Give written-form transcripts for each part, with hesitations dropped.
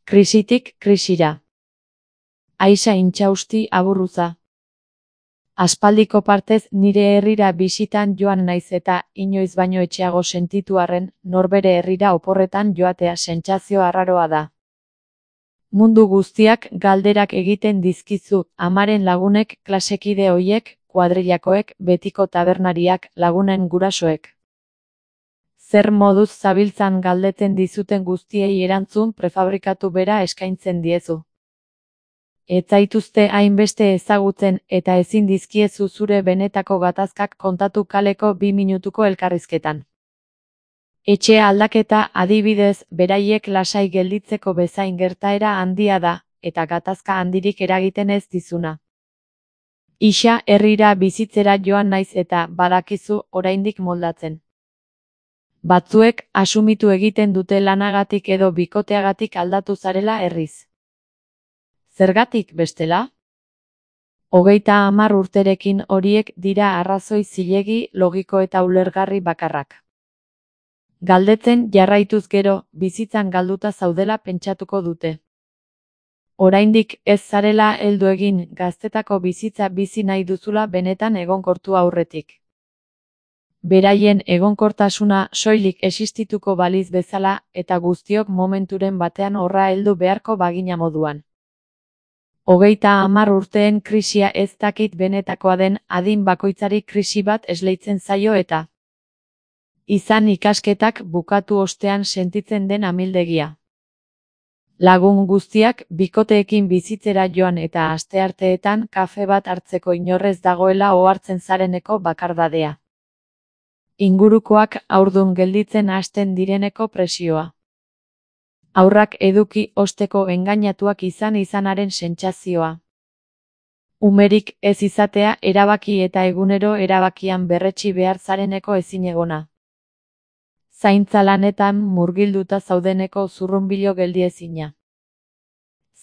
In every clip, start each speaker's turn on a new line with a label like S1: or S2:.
S1: Krisitik krisira. Aixa Intxausti Aburruza. Aspaldiko partez nire herrira bisitan joan naiz eta inoiz baino etxeago sentitu arren, norbere herrira oporretan joatea sentsazio arraroa da. Mundu guztiak galderak egiten dizkizu, amaren lagunek, klasekide hoiek, kuadrillakoek, betiko tabernariak, lagunen gurasoek. Zer moduz zabiltzan galdetzen dizuten guztiei erantzun prefabrikatu bera eskaintzen diezu. Ez zaituzte hainbeste ezagutzen eta ezin dizkiezu zure benetako gatazkak kontatu kaleko 2 minutuko elkarrizketan. Etxe aldaketa, adibidez, beraiek lasai gelditzeko bezain gertaera handia da, eta gatazka handirik eragiten ez dizuna. Ixa herrira bizitzera joan naiz eta badakizu oraindik moldatzen. Batzuek asumitu egiten dute lanagatik edo bikoteagatik aldatu zarela herriz. Zergatik bestela? 30 urterekin horiek dira arrazoi zilegi, logiko eta ulergarri bakarrak. Galdetzen jarraituz gero, bizitzan galduta zaudela pentsatuko dute. Oraindik ez zarela heldu egin, gaztetako bizitza bizi nahi duzula benetan egonkortu aurretik. Beraien egonkortasuna soilik existituko baliz bezala eta guztiok momenturen batean horra heldu beharko bagina moduan. 30 urteen krisia ez dakit benetakoa den, adin bakoitzari krisi bat esleitzen zaio eta izan ikasketak bukatu ostean sentitzen den amildegia. Lagun guztiak bikoteekin bizitzera joan eta astearteetan kafe bat hartzeko inorrez dagoela ohartzen zareneko bakardadea. Ingurukoak haurdun gelditzen hasten direneko presioa. Haurrak eduki osteko engainatuak izanaren sentsazioa. Umerik ez izatea erabaki eta egunero erabakian berretsi behar zareneko ezinegona. Zaintza lanetan murgilduta zaudeneko zurrunbilo geldiezina.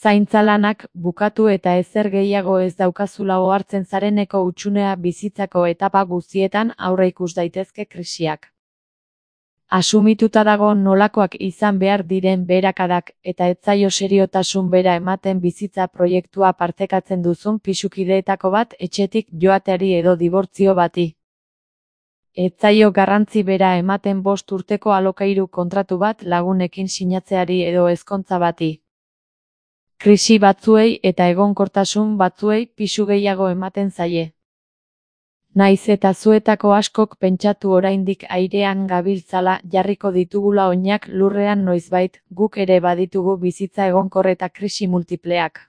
S1: Zaintza lanak bukatu eta ezer gehiago ez daukazula ohartzen zareneko hutsunea bizitzako etapa guztietan aurreikus daitezke krisiak. Asumituta dago nolakoak izan behar diren beherakadak eta ez zaio seriotasun bera ematen bizitza proiektua partekatzen duzun pisukideetako bat etxetik joateari edo dibortzio bati. Ez zaio garrantzi bera ematen 5 urteko alokairu kontratu bat lagunekin sinatzeari edo ezkontza bati. Krisi batzuei eta egonkortasun batzuei pisu gehiago ematen zaie. Naiz eta zuetako askok pentsatu oraindik airean gabiltzala jarriko ditugula oinak lurrean noizbait, guk ere baditugu bizitza egonkor eta krisi multipleak.